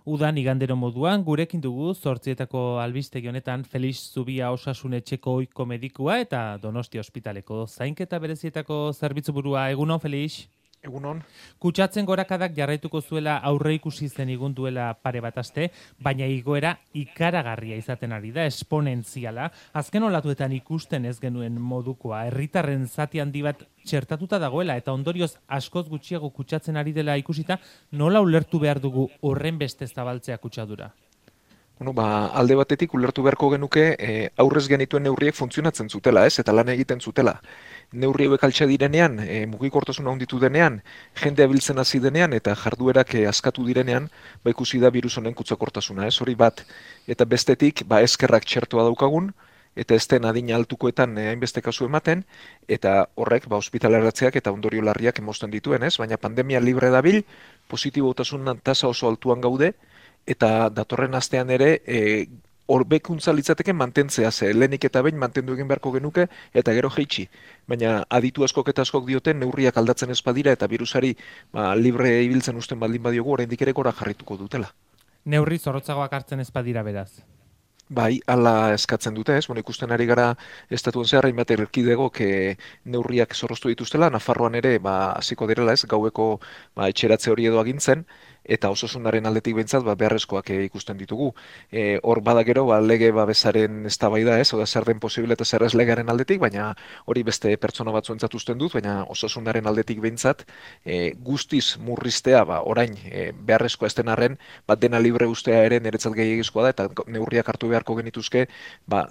Udan igandero moduan, gurekin dugu zortzietako albistegi honetan Felix Zubia Osasun Etxeko ohiko medikua eta Donostia Ospitaleko zainketa berezietako zerbitzu burua. Egunon, Felix? Egunon. Kutsatzen gorakadak jarraituko zuela aurre ikusi zen igun duela pare bat aste, baina igoera ikaragarria izaten ari da, esponentziala. Azken olatuetan ikusten ez genuen modukoa, herritarren zati handi bat txertatuta dagoela eta ondorioz askoz gutxiago kutsatzen ari dela ikusita, nola ulertu behar dugu horren beste zabaltzea kutsadura? Alde batetik ulertu beharko genuke aurrez genituen neurriek funtzionatzen zutela, ez? Eta lan egiten zutela. Neurri hauek altxa direnean, mugikortasuna handitu denean, jendea biltzen hasi denean eta jarduerak askatu direnean, ikusi da birus honen kutsakortasuna, ez? Hori bat. Eta bestetik, eskerrak txertoa daukagun, eta ez den adina altukoetan hainbeste kasu ematen, eta horrek ospitaleratzeak eta ondorio larriak emosten dituen, ez? Baina pandemia libre dabil, positibotasunan tasa oso altuan gaude, eta datorren astean ere horbekuntza litzateke mantentzea, ze lehenik eta behin mantendu egin beharko genuke eta gero jeitsi. Baina aditu askok eta askok dioten neurriak aldatzen ez badira eta virusari libre ibiltzen usten baldin badiogu oraindik ere gora jarrituko dutela. Neurri zorrotzagoak hartzen ez badira beraz. Bai, hala eskatzen dute, ez? Ikusten ari gara estatuen zehar hainbat erkidegok neurriak zorroztu dituztela, Nafarroan ere hasiko direla, ez? Gaueko etxeratze hori edo agintzen, eta osasunaren aldetik behintzat beharrezkoak ikusten ditugu. Hor bada gero lege babesaren eztabaida, ez? Oda zer den posible eta zer ez legearen aldetik, baina hori beste pertsona batzuentzat usten dut, baina osasunaren aldetik behintzat guztiz murriztea orain beharrezkoa ez den arren, dena libre ustea ere niretzat gehiagizkoa da eta neurriak hartu beharko genituzke,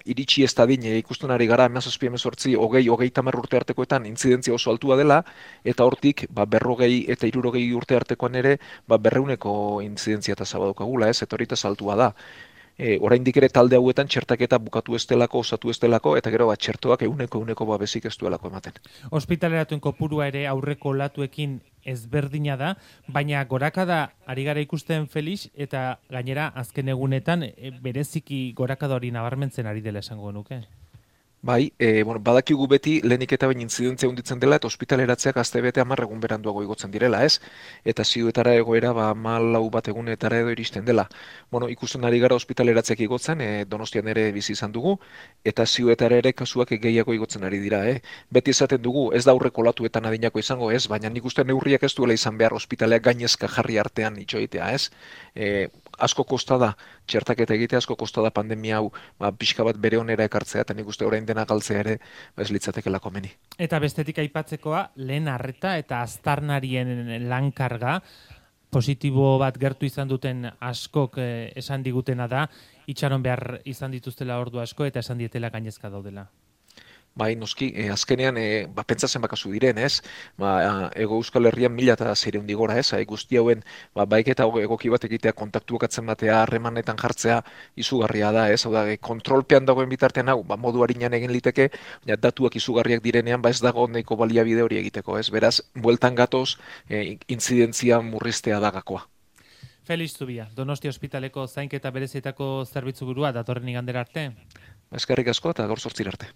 iritsi ez dadin ikusten ari gara 17, 18, 30 urte artekoetan intzidentzia oso altua dela, eta hortik 40 eta 60 urte artekoan ere berreuneko intzidentzia tasa badukagula, ez? Eta hori tasa altua da. Oraindik ere talde hauetan txertaketa bukatu ez delako, osatu ez delako, eta gero txertoak ehuneko babesik ez duelako ematen. Ospitaleratuen kopurua ere aurreko olatuekin ezberdina da, baina gorakada ari gara ikusten Felix, eta gainera azken egunetan bereziki gorakada hori nabarmentzen ari dela esango nuke. Bai, badakigu beti lehenik eta bain intzidentzia hunditzen dela eta ospitaleratzeak astebete 10 egun beranduago igotzen direla, ez? Eta ziuetara egoera 14 bat egunetara edo iristen dela. Ikusten ari gara ospitaleratzeak igotzen, Donostian ere bizi izan dugu, eta ziuetara ere kasuak gehiago igotzen ari dira, Beti esaten dugu, ez da aurreko olatuetan adinako izango, ez? Baina nik uste neurriak ez duela izan behar ospitaleak gainezka jarri artean itxoitea, ez? Asko kosta da, txertaketa egitea asko kosta da pandemia hau pixka bat bere onera ekartzea, eta nik uste orain dena galtzea ere ez litzatekela komeni. Eta bestetik aipatzekoa, lehen arreta eta aztarnarien lankarga, positibo bat gertu izan duten askok esan digutena da, itxaron behar izan dituztela ordu asko eta esan dietela gainezka daudela. Bai, noski, azkenean, pentsatzen bakazu diren, ez? Ego Euskal Herrian 1600 gora, ez? Guzti hauen, baiketa egoki bat egitea, kontaktuak atzen batea, harremanetan jartzea, izugarria da, ez? Oda, kontrolpean dagoen bitartean hau, modu harinan egin liteke, datuak izugarriak direnean, ez dago nahiko baliabide hori egiteko, ez? Beraz, bueltan gatoz, intzidentzia murriztea dagakoa. Felix Zubia, Donostia Ospitaleko zainketa berezietako zerbitzu burua, datorren igandera arte? Eskerrik asko eta gaur 8 arte.